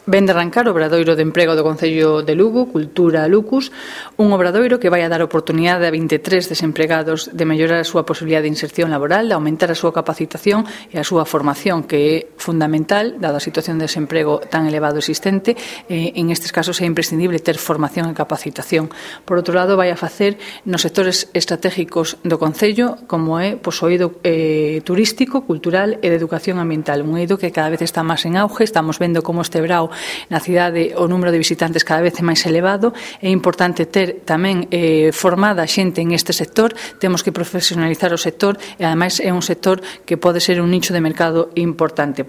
Ven de arrancar o Obradoiro de Emprego do Concello de Lugo, Cultura Lucus, un obradoiro que vai a dar oportunidade a 23 desempregados de mellorar a súa posibilidade de inserción laboral, de aumentar a súa capacitación e a súa formación, que é fundamental, dada a situación de desemprego tan elevado existente. En estes casos é imprescindible ter formación e capacitación. Por outro lado, vai a facer nos sectores estratégicos do Concello, como é o eido turístico, cultural e de educación ambiental. Un eido que cada vez está máis en auge. Estamos vendo como este verao na cidade o número de visitantes cada vez é máis elevado. É importante ter tamén formada xente en este sector. Temos que profesionalizar o sector e ademais é un sector que pode ser un nicho de mercado importante.